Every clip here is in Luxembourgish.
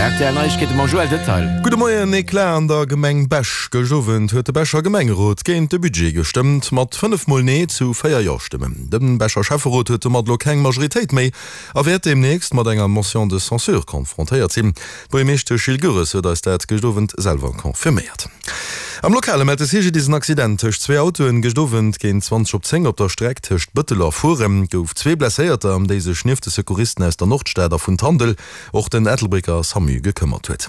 Rtl Neiegkeete mam Joël Detail. Gudde Moien, Eclat an der Gemeng Bech. Gëscht Owend huet de Becher Gemengerot géint de Budget gestëmmt, mat 5 mol Nee zu 4 Jo-Stëmmen. De Becher Schäfferot huet domat elo keng Majoritéit méi a wäert deemnächst mat enger Motion de censure konfrontéiert sinn. D'Buergermeeschtesch Jill Goeres huet eis dat gëscht Owend selwer confirméiert. Am Lokale mellt de CGDIS en Accident tëscht zwee Autoen gëscht Owend géint 20 op 10 op der Streck tëscht Bëttel a Furen. Et gouf zwee Blesséierter, ëm déi sech nieft de Secouristen aus der Nordstad a vun Tandel och den Ettelbrécker Samu gekëmmert huet.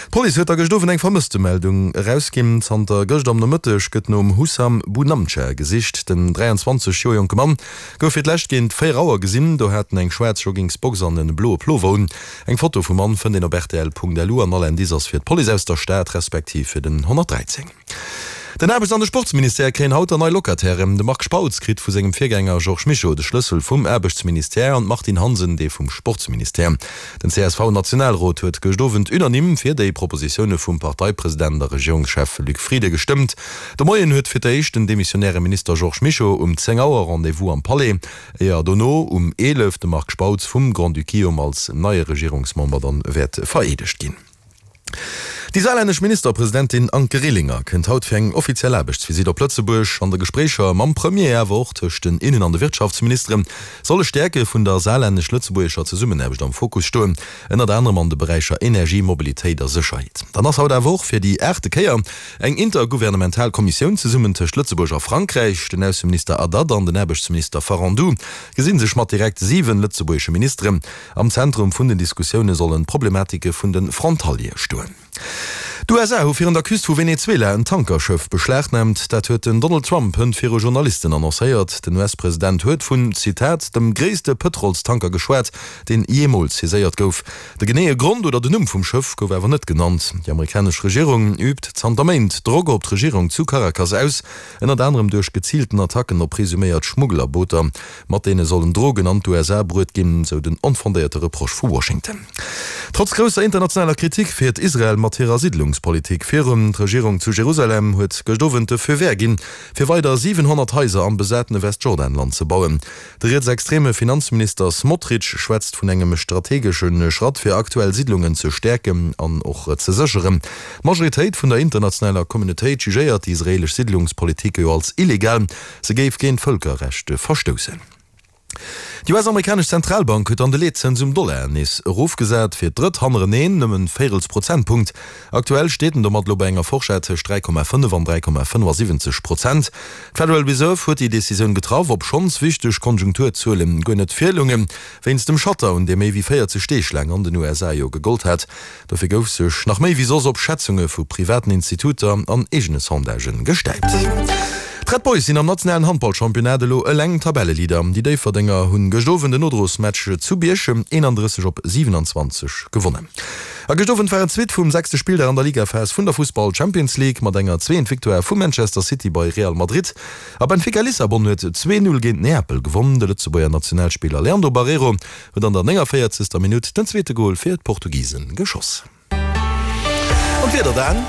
D'Police huet da gëscht Owend eng Vermësstemeldung erausginn. Zanter gëscht am Nomëtteg gëtt nom Hussam Bounamtcha gesicht. Den 23 Joer jonke Mann gouf fir d'lescht géint 4 Auer gesinn. Do hat en eng schwaarz Joggingsbox an e bloe Plover un. Eng Foto vum Mann fënnt een op rtl.lu an all Indice ass fir d'Police aus der Stad respektiv fir den 113. Den Aarbechts an de Sportsministère kréien haut der nei Locatairen. De Marc Spautz kritt vu sengem Virgänger Georges Mischo de Schlëssel vum Aarbechtsministère an d'Martine Hansen dee vum Sportsministère. Den CSV-Nationalrot huet gëscht Owend unanime fir déi Propositioune vum Parteipresident a Regierungschef Luc Frieden gestëmmt. De Moien huet fir d'éischt den demissionäre Minister Georges Mischo um 10 Auer Rendez-vous am Palais. Éier dono um 11 de Marc Spautz vum Grand-Duc Guillaume als neie Regierungsmember dann wäert vereedegt ginn. Déi saarlännesch Ministerpresidentin Anke Rehlinger kënnt haut fir eng offiziell Aarbechtsvisitt op Lëtzebuerg. An de Gespréicher mam Premier, awer och tëscht den Innen an de Wirtschaftsministere solle Stäerke vun der saarlännesch-lëtzebuergescher Zesummenaarbecht am Fokus stoen, ënnert anerem an de Beräicher Energie, Mobilitéit a Sécherheet. Dann ass haut awer och fir déi aachte Kéier Eng intergouvernemental Kommissioun zesummen tëscht Lëtzebuerg a Frankräich, den Ausseminister Haddad an den Aarbechtsminister Farandou gesinn sech mat direkt 7 lëtzebuergesche Ministeren. Am Zentrum vun den Diskussioune sollen d'Problematike vun de Frontaliere stoen. D'USA hu virun der Küst vu Venezuela en Tankerschëff beschlagnaamt. Dat huet den Donald Trump hënt viru Journalisten annoncéiert. Den US-President huet vun, Zitat, dem gréisste Pëtrolstanker geschwat, deen jeemools saiséiert gouf. De geneeë Grond oder den Numm vum Schëff gouf awer net genannt. Déi amerikanesch Regierung üübt zanter Méint Drock op d'Regierung zu Caracas aus, ënnert anerem duerch geziilten Attacken op presuméiert Schmugglerbooter. Mat deene sollen Drogen an d'USA bruet ginn, sou den onfondéierte Reproche vu Washington. Trotz grousser internationaler Kritik fiert Israel mat hirer Siddlungspolitik virun. D'Regierung zu Jerusalem huet gëscht Owend de Feu vert ginn, fir weider 700 Haiser am besatene Westjordanland ze bauen. De rietsextreme Finanzminister Smotrich schwätzt vun engem strategesche Schratt, fir aktuell Siddlungen ze stäerken an och ze sécheren. D'Majoritéit vun der internationaler Communautéit jugéiert déi israeelesch Siddlungspolitik jo als illegal, se géif géint d'Vëlkerrecht verstoussen. Déi US-amerikanesch Zentralbank huet dann de Leetzëns um Dollar nees erofgesat, fir d'drëtt hannereneen, ëm e Véirels Prozentpunkt. Aktuell steet en domat elo bei enger Forschett tëscht 3,5 an 3,75 Prozent. D'Federal Reserve huet déi Decisioun getraff, obschonns wichteg Konjunkturzuelen guer net virloungen, wéinst dem Shutdown, dee méi wéi 40 Deeg laang an den USA jo gegollt hat. Dofir gouf sech nach méi wéi soss op Schätzunge vu privaten Instituter an eegene Sondagen gestäipt. D'Red Boys sinn am nationalen Handballchampionnat elo eleng Tabelleleader. Déi Déifferdenger hunn gëscht Owend en Nodrosmatch zu Bierchem 31 op 27 gewonnen. A gëscht Owend war et d'Suite vum sechste Spilldag an der Ligaphas vun der Fussball Champions League mat enger zweent Victoire vu Manchester City bei Real Madrid. A Benfica Lissabon huet 2, 0 géint Neapel gewonn. De Lëtzebuerger Nationalspiller Leandro Barreiro huet an der 49. Minutt den zweete Gol fir d'Portugisen geschoss. An d'Wieder dann?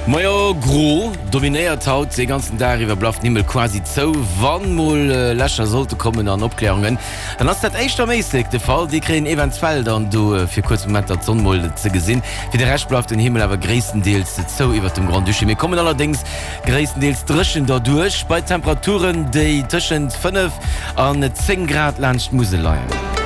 Majo, gro dominéiert haut dee ganzen Dag iwwer, bleift den Himmel quasi zou. Wann mol Lächer sollte kommen an Opklärungen, dann ass dat éischter am Éislek de Fall. Déi kréien eventuell dann do fir kuerz Momenter d'Sonn mol ze gesinn. Fir de Rescht bleift den Himmel awer gréisstendeels zou iwwert dem Grand-Duché. Mir kommen allerdéngs gréisstendeels dréchen derduerch, bei Temperaturen, déi tëschent 5 an 10 Grad laanscht d'Musel leien.